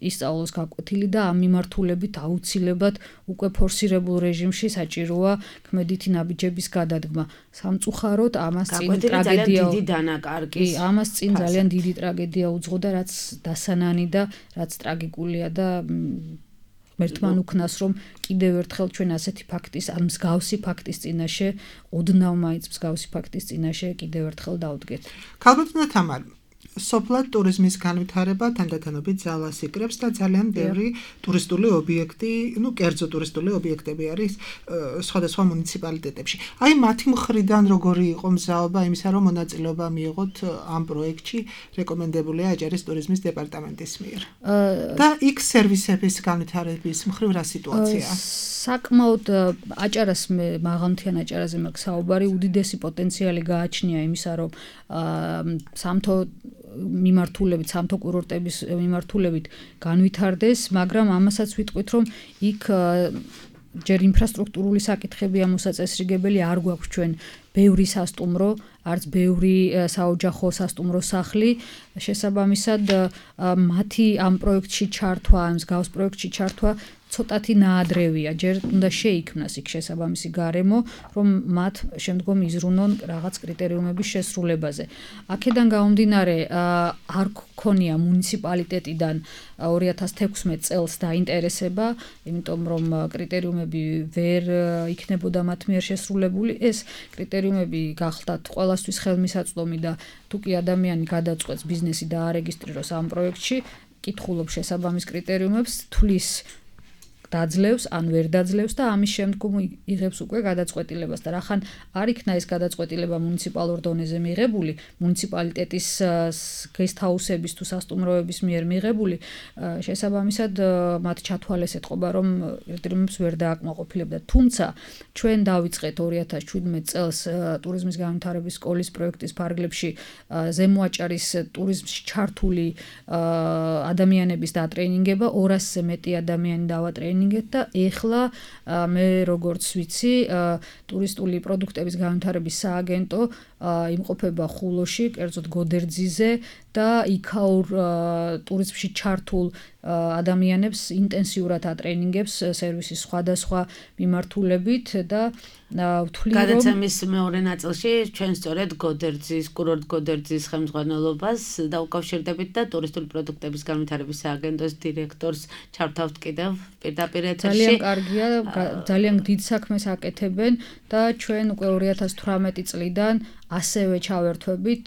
ისწავლოს გაკვეთილი და ამ მიმართულებით აუცილებლად უკვე ფორსირებულ რეჟიმში საჭიროა ქმედითი ნაბიჯების გადადგმა. სამწუხაროდ ამას წინ ტრაგედია დიდი დანაკარგის. ამას წინ ძალიან დიდი ტრაგედია უძღოდა, რაც დასანანი და რაც ტრაგიკულია და ერთმან უქნას, რომ კიდევ ერთხელ ჩვენ ასეთი ფაქტის, ან მსგავსი ფაქტის წინაშე, ოდნავ მაინც მსგავსი ფაქტის წინაშე კიდევ ერთხელ დავდგეთ. ქალბატონო თამარ, სოფლად ტურიზმის განვითარება თანდათანობით ძალას იკრებს და ძალიან ბევრი ტურისტული ობიექტი, კერძო ტურისტული ობიექტები არის სხვადასხვა მუნიციპალიტეტებში. აი მათი მხრიდან როგორი იყო მზაობა იმისა, რომ მონაწილეობა მიიღოთ ამ პროექტში, რეკომენდებულია აჭარის ტურიზმის დეპარტამენტის მიერ. და იქ სერვისების განვითარების მხრივ რა სიტუაციაა? საკმაოდ აჭარას მაღალმთიან აჭარაზე მაქვს საუბარი, უდიდესი პოტენციალი გააჩნია იმისა, რომ სამთო მიმართულებით, სამთო კურორტების მიმართულებით განვითარდეს, მაგრამ ამასაც ვიტყვით, რომ იქ ჯერ ინფრასტრუქტურული საკითხებია მოსაწესრიგებელი, არ გვაქვს ჩვენ ბევრი სასტუმრო, არც ბევრი საოჯახო სასტუმრო სახლი, შესაბამისად მათი ამ პროექტში ჩართვა, ამ მსგავს პროექტში ჩართვა ცოტათი ნაადრევია, ჯერ უნდა შეიქმნას იქ შესაბამისი გარემო, რომ მათ შემდგომ იზრუნონ რაღაც კრიტერიუმების შესრულებაზე. აქედან გამომდინარე, არ გქონია მუნიციპალიტეტიდან 2016 წელს დაინტერესება, იმიტომ რომ კრიტერიუმები ვერ იქნებოდა მათ მიერ შესრულებული. ეს კრიტერიუმები გახლდათ ყველასთვის ხელმისაწვდომი და თუ კი ადამიანი გადაწყვეტს ბიზნესი დაარეგისტრიროს ამ პროექტში, კითხულობს შესაბამის კრიტერიუმებს, თulis დაძლევს ან ვერ დაძლევს და ამის შემდგომ იღებს უკვე გადაწყვეტილებას და რახან არ იქნა ეს გადაწყვეტილება მუნიციპალურ დონეზე მიღებული, მუნიციპალიტეტის გესტჰაუსების თუ სასტუმროების მიერ მიღებული, შესაბამისად მათ ჩათვალეს ეთყობა, რომ კრიტერიუმებს ვერ დააკმაყოფილებდა. თუმცა ჩვენ დავიწყეთ 2017 წელს ტურიზმის განვითარების სკოლის პროექტის ფარგლებში ზემო აჭარის ტურიზმში ჩართული ადამიანების დატრეინინგება, 200-ზე მეტი ადამიანი დავატრეინინგეთ და ეხლა მე როგორც ვიცი, ტურისტული პროდუქტების განვითარების სააგენტო იმყოფება ხულოში, კერძოდ გოდერძიზე და იქაურ ტურიზმში ჩართულ ადამიანებს ინტენსიურად ატრეინინგებს სერვისის სხვადასხვა მიმართულებით და ვთვლი რომ გადაცემის მეორე ნაწილში ჩვენ სწორედ გოდერძის, კურორტ გოდერძის ხელმძღვანელობას დაუკავშირდებით და ტურისტული პროდუქტების განვითარების სააგენტოს დირექტორს ჩართავთ კიდევ პირდაპირ ეთერში. ძალიან კარგია, ძალიან დიდ საქმეს აკეთებენ და ჩვენ უკვე 2018 წლიდან ასევე ჩავერთვებით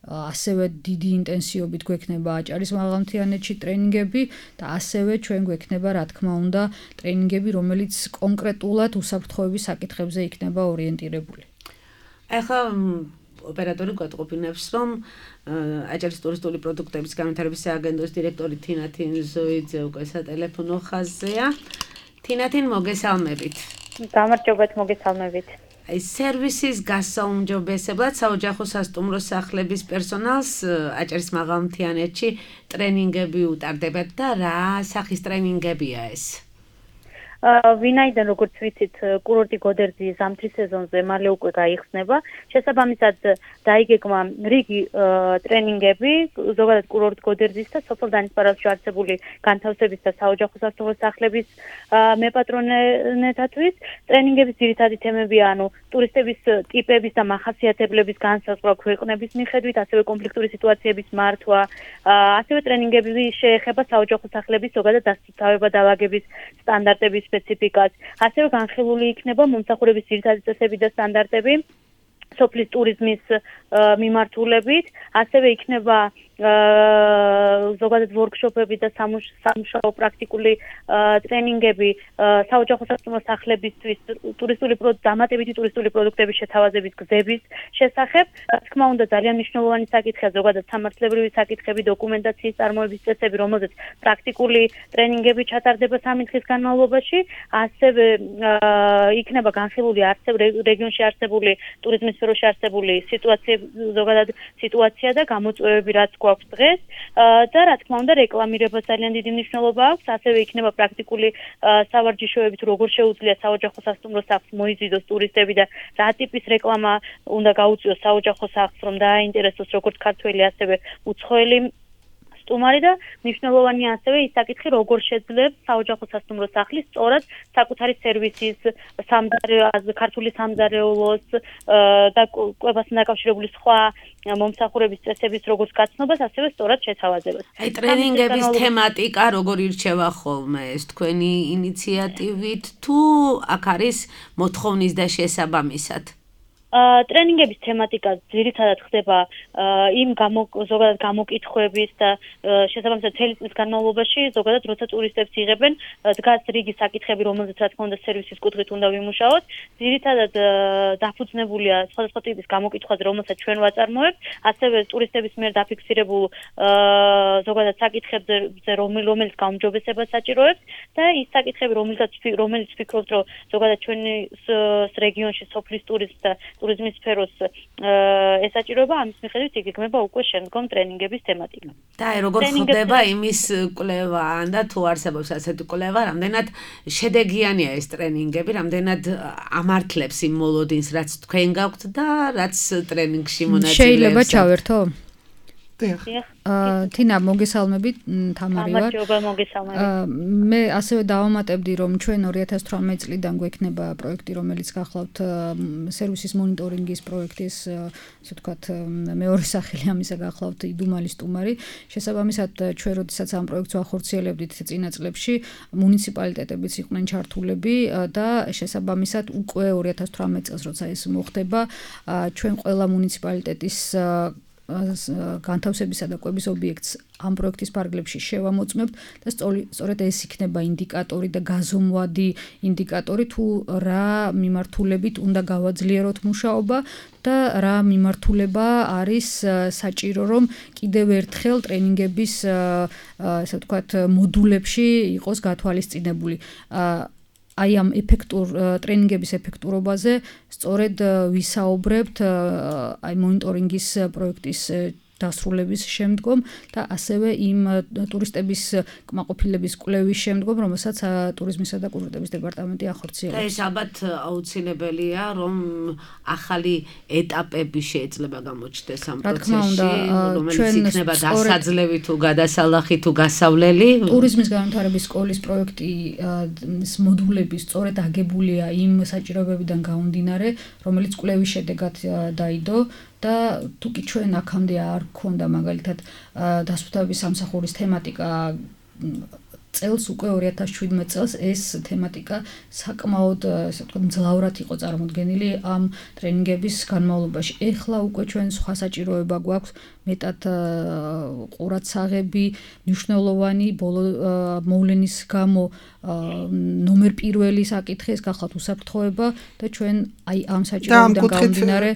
ასევე დიდი ინტენსივობით გვექნება აჭარის მაღალმთიანეთში ტრეინინგები და ასევე ჩვენ გვექნება, რა თქმა უნდა, ტრეინინგები, რომელიც კონკრეტულად უსაფრთხოების საკითხებზე იქნება ორიენტირებული. ახლა ოპერატორი გვატყობინებს, რომ აჭარის ტურისტული პროდუქტების განვითარების სააგენტოს დირექტორი თინათინ ზოიძე უკვე სატელეფონო ხაზზეა. თინათინ, მოგესალმებით. გამარჯობათ, მოგესალმებით. სერვისის გასაუმჯობესებლად საოჯახო სასტუმრო სახლების პერსონალს აჭარის მაღალმთიანეთში ტრენინგები უტარდებათ და რა სახის ტრენინგებია ეს? ვინაიდან როგორც ვიცით, კურორტი გოდერძი ზამთრის სეზონზე მალე უკვე გაიხსნება. შესაბამისად დაიგეგმა რიგი ტრენინგები ზოგადად კურორტ გოდერძის და სოფელ დანისპარავში არსებული განთავსების და საოჯახო სასტუმრო სახლების მეპატრონეთათვის. ტრენინგების ძირითადი თემებია, ტურისტების ტიპების და მახასიათებლების განსაზღვრა ქვეყნების მიხედვით, ასევე კონფლიქტური სიტუაციების მართვა, ასევე ტრენინგები შეეხება საოჯახო სახლების ზოგადად დასწავლება დაავადების სტანდარტების სპეციფიკას, ასევე განხილული იქნება მომსახურების ძირითადი წესები და სტანდარტები სოფლის ტურიზმის მიმართულებით, ასევე იქნება ზოგადად ვორქშოპები და სამუშაო პრაქტიკული ტრენინგები საოჯახო სასტუმრო სახლებისთვის დამატებითი ტურისტული პროდუქტების შეთავაზების გზების შესახებ. Რა თქმა უნდა, ძალიან მნიშვნელოვანი საკითხია ზოგადად სამართლებრივი საკითხები, დოკუმენტაციის წარმოების წესები, რომელზეც პრაქტიკული ტრენინგები ჩატარდება 3 დღის განმავლობაში. ასევე იქნება განხილული რეგიონში არსებული ტურიზმის სფეროში არსებული ზოგადად სიტუაცია და გამოწვევები, რაც გვაქვს დღეს და რა თქმა უნდა რეკლამირებას ძალიან დიდი მნიშვნელობა აქვს. ასევე იქნება პრაქტიკული სავარჯიშოები თუ როგორ შეუძლია საოჯახო სასტუმრო სახლს მოიზიდოს ტურისტები და რა ტიპის რეკლამა უნდა გაუწიოს საოჯახო სახლს, რომ დააინტერესოს როგორც ქართველი, ასევე უცხოელი სტუმარი და მნიშვნელოვანია ასევე ის საკითხი, როგორ შეძლებს საოჯახო სასტუმრო სახლის სწორად საკუთარი სერვისის ქართული სამზარეულოს და კვებასთან დაკავშირებული სხვა მომსახურების წესების როგორც გაცნობას, ასევე სწორად შეთავაზებას. აი ტრენინგების თემატიკა როგორ ირჩევა ხოლმე ეს თქვენი ინიციატივით თუ აქ არის მოთხოვნის და შესაბამისად? ტრენინგების თემატიკა ძირითადად ხდება იმ ზოგადად გამოკითხვების და შესაბამისად წელი წლის განმავლობაში ზოგადად როცა ტურისტებს იღებენ დგას რიგი საკითხები, რომელზეც რა თქმა უნდა სერვისის კუთხით უნდა ვიმუშაოთ. ძირითადად დაფუძნებულია სხვადასხვა ტიპის გამოკითხვაზე, რომელსაც ჩვენ ვაწარმოებთ, ასევე ტურისტების მიერ დაფიქსირებულ ზოგადად საკითხებზე, რომელიც გაუმჯობესებას საჭიროებს და ის საკითხები, რომელიც ვფიქრობთ, რომ ზოგადად ჩვენი რეგიონში სოფლის ტურიზმს და ტურიზმის სფეროს ესაჭიროება, ამის მიხედვით იგეგმება უკვე შემდგომ ტრენინგების თემატიკა. და როგორ ხდება იმის კვლევა, და თუ არსებობს ასეთი კვლევა, რამდენად შედეგიანია ეს ტრენინგები, რამდენად ამართლებს იმ მოლოდინს, რაც თქვენ გაქვთ და რაც ტრენინგში მონაწილეებს. შეიძლება ჩავერთო? დიახ. თინა მოგესალმებით, თამარი ვარ. მე ასევე დავამატებდი, რომ ჩვენ 2018 წლიდან გვექნება პროექტი, რომელიც გახლავთ სერვისის მონიტორინგის პროექტის, ასე ვთქვათ, მეორე სახელი ამისა გახლავთ იდუმალი სტუმარი. შესაბამისად, ჩვენ როდესაც ამ პროექტს ვახორციელებდით წინა წლებში, მუნიციპალიტეტებიც იყვნენ ჩართულები და შესაბამისად უკვე 2018 წელს როცა ეს მოხდება, ჩვენ ყველა მუნიციპალიტეტის განთავსებისა და კვების ობიექტს ამ პროექტის ფარგლებში შევამოწმებთ და სწორედ ეს იქნება ინდიკატორი და გაზომვადი ინდიკატორი თუ რა მიმართულებით უნდა გავაძლიეროთ მუშაობა და რა მიმართულება არის საჭირო, რომ კიდევ ერთხელ ტრენინგების ასე ვთქვათ მოდულებში იყოს გათვალისწინებული. აი ამ ტრენინგების ეფექტურობაზე სწორედ ვისაუბრებთ აი მონიტორინგის პროექტის დასრულების შემდგომ და ასევე იმ ტურისტების კმაყოფილების კვლევის შემდგომ, რომელსაც ტურიზმისა და კულტურის დეპარტამენტი ახორციელებს. და ეს ალბათ აუცილებელია, რომ ახალი ეტაპები შეიძლება გამოჩნდეს ამ პროცესში, რომელიც იქნება დასაძლევი თუ გადასალახი თუ გასავლელი. ტურიზმის განვითარების სკოლის პროექტის მოდულები სწორედ აგებულია იმ საჭიროებებიდან გამომდინარე, რომელიც კვლევის შედეგად დაიდო. და თუკი ჩვენ აქამდე არ გქონდა მაგალითად დასუფთავების სამსახურის თემატიკა წელს უკვე 2017 წელს ეს თემატიკა საკმაოდ ასე ვთქვათ მძლავრად იყო წარმოდგენილი ამ ტრენინგების განმავლობაში. ეხლა უკვე ჩვენ სხვა საჭიროება გვაქვს მეტად ყურადსაღები, მნიშვნელოვანი ბოლო მოვლენის გამო ნომერ პირველი საკითხი ეს გახლავთ უსაფრთხოება და ჩვენ აი ამ საჭიროებიდან გამომდინარე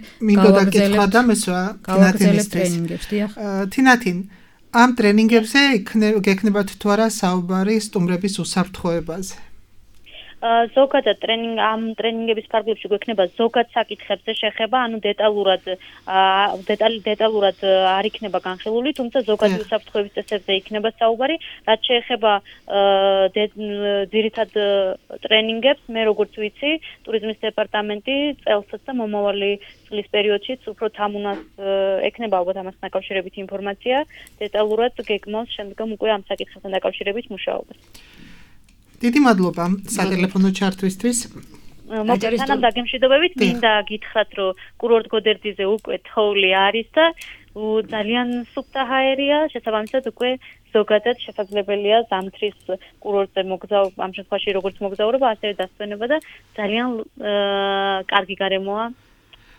გავაგრძელებთ ტრენინგებს. თინათინ ამ ტრენინგებზე გექნებათ თუ არა საუბარი სტუმრების უსაფრთხოებაზე? ზოგადად ამ ტრენინგების ფარგლებში გვექნება ზოგად საკითხებზე შეხება, ანუ დეტალურად არ იქნება განხილული, თუმცა ზოგადი უსაფრთხოების წესებზე იქნება საუბარი, რაც შეეხება ძირითად ტრენინგებს, მე როგორც ვიცი, ტურიზმის დეპარტამენტი წელსაც და მომავალი წლის პერიოდშიც უფრო თამუნას ექნება ალბათ ამასთან დაკავშირებით ინფორმაცია, დეტალურად გეგმავს შემდგომ უკვე ამ საკითხებთან დაკავშირებით მუშაობას. დიდი მადლობა სატელეფონო ჩართვისთვის. მოგესალმებით, დაგემშვიდობებით, მინდა გითხრათ, რომ კურორტ გოდერძიზე უკვე თოვლი არის და ძალიან სუფთა ჰაერია, შესაბამისად უკვე ზოგადად შესაძლებელია ზამთრის კურორტზე ამ შემთხვევაში როგორც მოგზაურობა, ასევე დასვენება და ძალიან კარგი გარემოა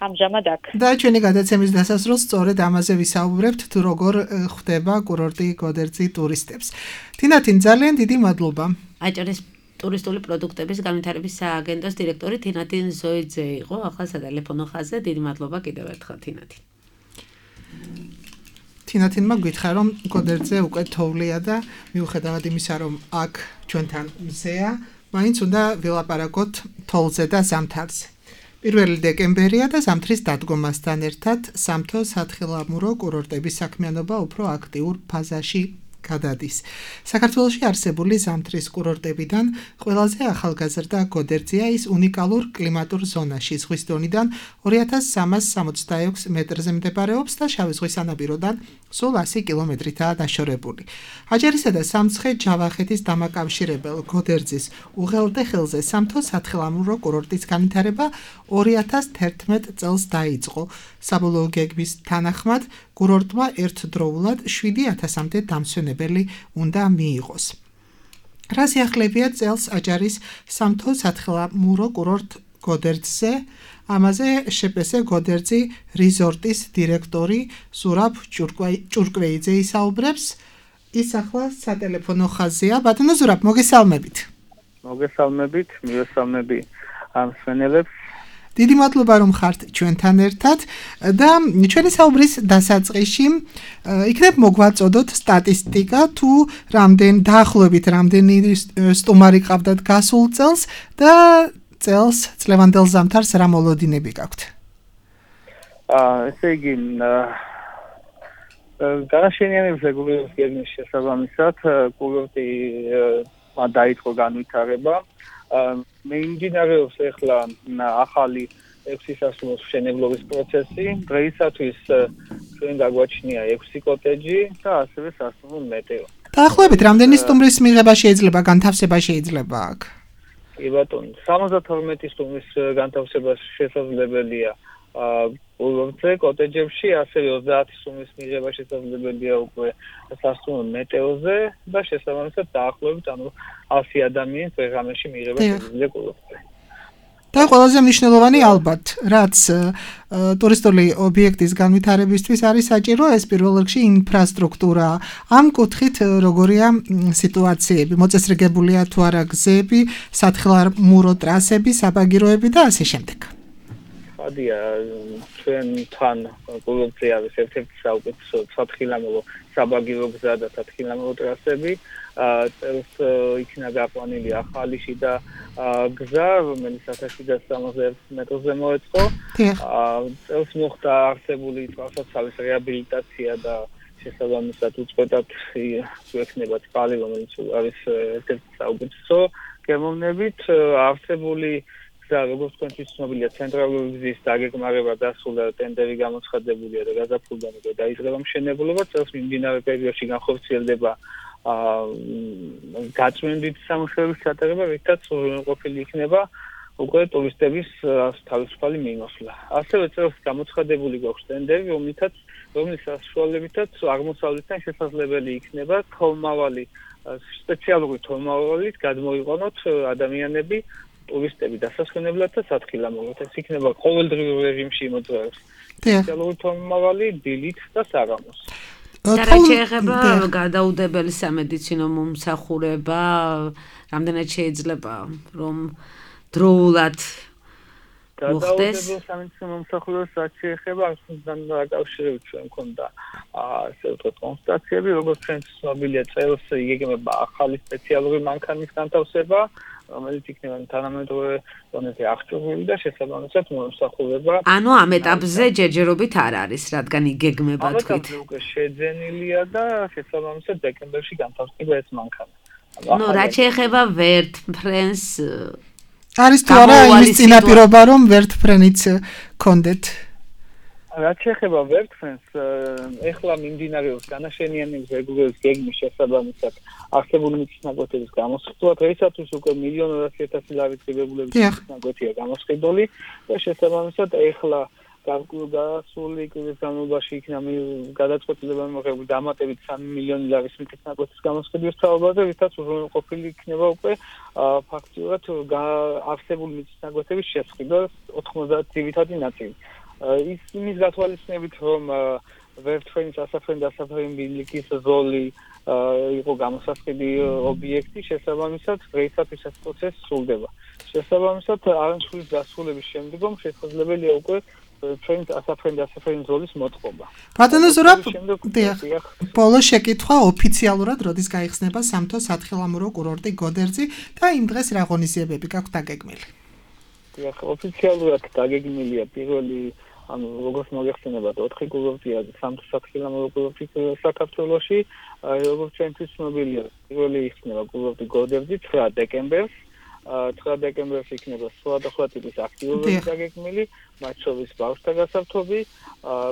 ამჟამად აქ. და ჩვენი გადაცემის დასასრულს სწორედ ამაზე ვისაუბრებთ, თუ როგორ ხვდება კურორტი გოდერძი ტურისტებს. თინათინ, ძალიან დიდი მადლობა. აჭარის ტურისტული პროდუქტების განვითარების სააგენტოს დირექტორი თინათინ ზოიძე იყო ახლა სატელეფონო ხაზზე. დიდი მადლობა კიდევ ერთხელ თინათინ. თინათინმა გითხრა, რომ გოდერძზე უკვე თოვლია და მიუხედავად იმისა, რომ აქ ჩვენთან მზეა, მაინც უნდა ვილაპარაკოთ თოვლზე და ზამთარზე. 1 დეკემბერია და ზამთრის დადგომასთან ერთად სამთო სათხილამურო კურორტების საქმიანობა უფრო აქტიურ ფაზაში გადადის. საქართველოში არსებული ზამთრის კურორტებიდან ყველაზე ახალგაზრდა გოდერძია ის უნიკალურ კლიმატურ ზონაში ზღვის დონიდან 2366 მეტრზე მდებარეობს და შავი ზღვის სანაპიროდან სულ 100 კილომეტრითაა დაშორებული. აჭარისა და სამცხე-ჯავახეთის დამაკავშირებელ გოდერძის უღელტეხილზე სამთო სათხილამურო კურორტის განვითარება 2011 წელს დაიწყო. საბოლოო გეგმის თანახმად კურორტმა ერთდროულად 7000-მდე დამსვენებელი უნდა მიიღოს. რა სიახლებია წელს აჭარის სამთო სათხილამურო კურორტ გოდერძზე? ამაზე შპს გოდერძი რიზორტის დირექტორი ზურაბ ჭურკვეიძე ისაუბრებს. ის ახლა სატელეფონო ხაზია. ბატონო ზურაბ, მოგესალმებით. მოგესალმებით, მივესალმები ამ მსმენელებს. დიდი მადლობა რომ ხართ ჩვენთან ერთად და ჩვენი საუბრის დასაწყისში იქნებ მოგვაწოდოთ სტატისტიკა თუ დაახლოებით რამდენი სტუმარი ყავდათ გასულ წელს და წელს წლევანდელ ზამთარს რა მოლოდინები გაქვთ? ესე იგი განაშენიანების რეგულირების გეგმის შესაბამისად კურორტი დაიწყო განვითარება. მიმდინარეობს ახლა ახალი 6 სასულოს მშენებლობის პროცესი. დღეისათვის ჩვენ გაგვაჩნია 6 კოტეჯი და ასევე სასულო მეტეო. დაახლოებით რამდენი სტუმრის მიღება შეიძლება, განთავსება შეიძლება აქ? კი ბატონო, 72 სტუმრის განთავსება შესაძლებელია კურორტზე, კოტეჯებში, ასევე 30 სტუმრის მიღება შესაძლებელია უკვე სასულო მეტეოზე და შესაბამისად დაახლოებით 100 ადამიანის დღე-ღამეში მიღება შეგვიძლია კურორტზე. და ყველაზე მნიშვნელოვანი ალბათ, რაც ტურისტული ობიექტის განვითარებისთვის არის საჭირო, ეს პირველ რიგში ინფრასტრუქტურა. ამ კუთხით როგორია სიტუაციები? მოწესრიგებულია თუ არა გზები, სათხილამურო ტრასები, საბაგიროები და ასე შემდეგ. ხადია, ჩვენთან კურორტზე არის ერთ-ერთი საუკეთესო სათხილამურო საბაგირო გზა და სათხილამურო ტრასები. წელს იქნა გაპლანილი ახალი შიდა გზა, რომელიც 1771 მეტრზე მოეწყო. წელს მოხდა არსებული თვალსაჩინოს რეაბილიტაცია და შესაბამისად უწყვეტად შეექნება წყალი, რომელიც არის ერთ-ერთი საუკეთესო გემოვნებით. არსებული და როგორც თქვენთვის ცნობილია, ცენტრალური გზის დაგეგმარება დასრულდა, ტენდერი გამოცხადებულია და გაზაფხულიდან უკვე დაიწყება მშენებლობა. წელს მიმდინარე პერიოდში განხორციელდება გაწმენდით სამუშაოების ჩატარება, რითაც ყოფილი იქნება უკვე ტურისტების თავისუფალი მიმოსვლა. ასევე წელს გამოცხადებული გვაქვს ტენდერი, რომლის საშუალებითაც აღმოსავლეთიდან შესაძლებელი იქნება თოლმავალი, სპეციალური თოლმავალით გადმოიყვანოთ ადამიანები ტურისტები დასასვენებლად და სათხილამუროდ. ეს იქნება ყოველდღიურ რეჟიმში იმოძრავებს სპეციალური თოლმავალი, დილით და საღამოს. და რა შეეხება გადაუდებელი სამედიცინო მომსახურება, რამდენად შეიძლება რომ დროულად მოხდეს? გადაუდებელი სამედიცინო მომსახურებას რაც შეეხება, ასთან დაკავშირებით ჩვენ მქონდა ასე ვთქვათ კონსტატაციები, როგორც ჩვენ ცნობილია, წელს იგეგმება ახალი სპეციალური მანქანის განთავსება, რომელიც იქნება თანამედროვე დონეზე აღჭურვილი და შესაბამისად მომსახურება. ანუ ამ ეტაპზე ჯერჯერობით არ არის, რადგან იგეგმება თქვით. ამ ეტაპზე უკვე შეძენილია და შესაბამისად დეკემბერში განთავსდება ეს მანქანა. ნუ რა შეეხება ვერტმფრენს არის თუ არა იმის წინაპირობა რომ ვერტმფრენიც კონდეთ? რაც შეეხება ვერტმფრენს, ეხლა მიმდინარეობს განაშენიანების რეგულირების გეგმის შესაბამისად არსებული მიწისნაკვეთების გამოსხდვა. დღეისათვის უკვე 1,200,000 ლარის ღირებულების მიწისნაკვეთია გამოსყიდული და შესაბამისად ეხლა გასული კვირის განმავლობაში იქნა გადაწყვეტილება მიღებული დამატებით 3 მილიონი ლარის მიწის ნაკვეთის გამოსყიდვის საუბარზე, რითაც უზრუნველყოფილი იქნება უკვე ფაქტიურად არსებული მიწის ნაკვეთების შესყიდვა 90 ძირითადი ნაწილი. ის იმის გათვალისწინებით, რომ ვერ ჩვენი სასაფრენ ბილიკის ზოლი იყო გამოსასყიდი ობიექტი, შესაბამისად დღეისათვის ეს პროცესი სრულდება. შესაბამისად არანჩხულის დასრულების შემდგომ შესაძლებელია უკვე ჩვენი ასაფრენ ზოლის მოტყობა. ბატონო ზურაბ, ბოლო შეკითხვა ოფიციალურად როდის გაიხსნება სამთო სათხილამურო კურორტი გოდერძი და იმ დღეს რა ღონისძიებები გაქვთ დაგეგმილი? დიახ, ოფიციალურად დაგეგმილია პირველი როგორც მოგეხსენება 4 კურორტია სამთო სათხილამურო კურორტი საქართველოში, როგორც ჩვენთვის ცნობილია, პირველი იხსნება კურორტი გოდერძი 9 დეკემბერს. 9 დეკემბერს იქნება სხვადასხვა ტიპის აქტივობები დაგეგმილი, მათ შორის ბავშვთა გასართობი,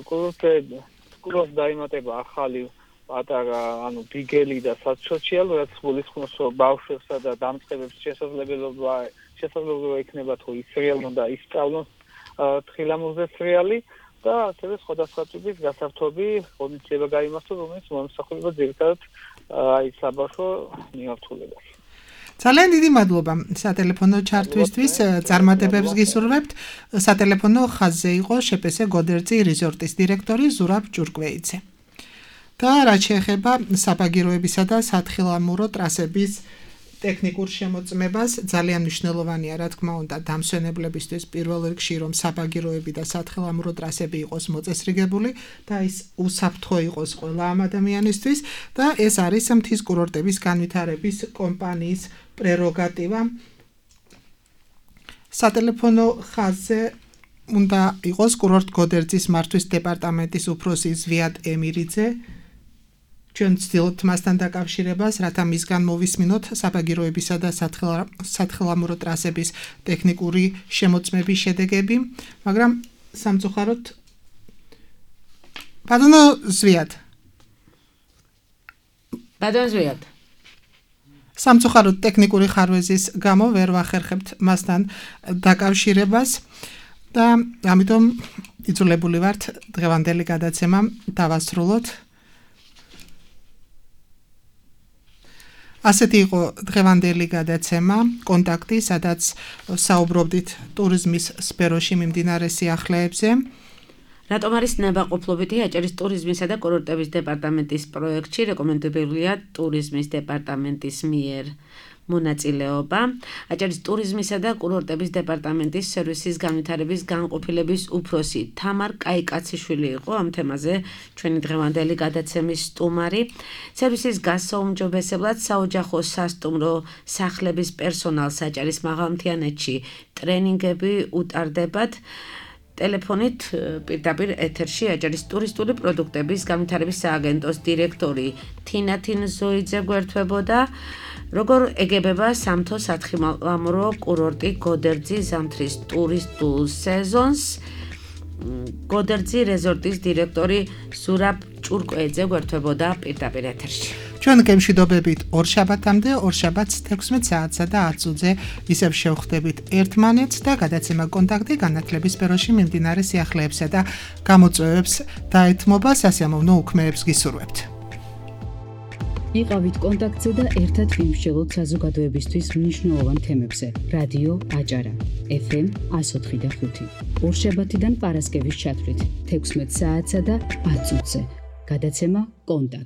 კურორტს დაემატება ახალი პატარა, ბიგელი და საცოციალ, რაც გულისხმობს, რომ ბავშვებსა და დამწყებებს შესაძლებლობა იქნება თუ ისრიალონ და ისწავლონ თხილამურზე სრიალი და ასევე სხვადასხვა ტიპის გასართობი ღონისძიება გაიმართოს, რომელიც მომსახურება ძირითადად საბავშვო მიმართულებას. ძალიან დიდი მადლობა სატელეფონო ჩართვისთვის, წარმატებებს გისურვებთ. სატელეფონო ხაზზე იყო შეპესე გოდერძი რიზორტის დირექტორი ზურაბ ჭურკვეიძე. და რაც შეეხება საბაგიროებისა და სათხილამურო ტრასების ტექნიკურ შემოწმებას, ძალიან მნიშვნელოვანია, რა თქმა უნდა, დამსვენებლებისთვის პირველ რიგში, რომ საბაგიროები და სათხილამურო ტრასები იყოს მოწესრიგებული და ის უსაფრთხო იყოს ყველა ამ ადამიანისთვის და ეს არის მთის კურორტების განვითარების კომპანიის პრეროგატივა. სატელეფონო ხაზზე უნდა იყოს კურორტ გოდერძის მართვის დეპარტამენტის უფროსი ზვიად ემირიძე. ჩვენ ვცდილობთ მასთან დაკავშირებას, რათა მისგან მოვისმინოთ საბაგიროებისა და სათხილამურო ტრასების ტექნიკური შემოწმების შედეგები, მაგრამ სამწუხაროდ ბატონო ზვიად. სამწუხაროდ ტექნიკური ხარვეზის გამო ვერ ვახერხებთ მასთან დაკავშირებას და ამიტომ იძულებული ვართ დღევანდელი გადაცემა დავასრულოთ. ასეთი იყო დღევანდელი გადაცემა, კონტაქტი, სადაც საუბრობდით ტურიზმის სფეროში მიმდინარე სიახლეებზე. რატომ არის ნებაყოფლობითი აჭარის ტურიზმისა და კურორტების დეპარტამენტის პროექტში რეკომენდებულია ტურიზმის დეპარტამენტის მიერ მონაწილეობა. აჭარის ტურიზმისა და კურორტების დეპარტამენტის სერვისის განვითარების განყოფილების უფროსი თამარ კაიკაციშვილი იყო ამ თემაზე ჩვენი დღევანდელი გადაცემის სტუმარი. სერვისის გასაუმჯობესებლად საოჯახო სასტუმრო სახლების პერსონალს აჭარის მაღალმთიანეთში ტრენინგები უტარდებათ. ტელეფონით პირდაპირ ეთერში აჭარის ტურისტული პროდუქტების განვითარების სააგენტოს დირექტორი თინათინ ზოიძე გვერდთვებოდა. როგორ ეგებება სამთო სათხილამურო კურორტი გოდერძი ზამთრის ტურისტულ სეზონს? გოდერძი რეზორტის დირექტორი ზურაბ ჭურკვეიძე გვერდთვებოდა პირდაპირ ეთერში. ჩვენ გემშვიდობებით ორშაბათამდე, ორშაბათს 16 საათსა და 10 წუთზე ისევ შევხვდებით ერთმანეთს და გადაცემა კონტაქტი განათლების სფეროში მიმდინარე სიახლეებსა და გამოწვევებს დაეთმობა, სასიამოვნო უქმეებს გისურვებთ. იყავით კონტაქტზე და ერთად ვიმსჯელოთ საზოგადოებისთვის მნიშვნელოვან თემებზე. რადიო აჭარა, FM 104.5. ორშაბათიდან პარასკევის ჩათვლით 16 საათსა და 10 წუთზე. გადაცემა კონტაქტი.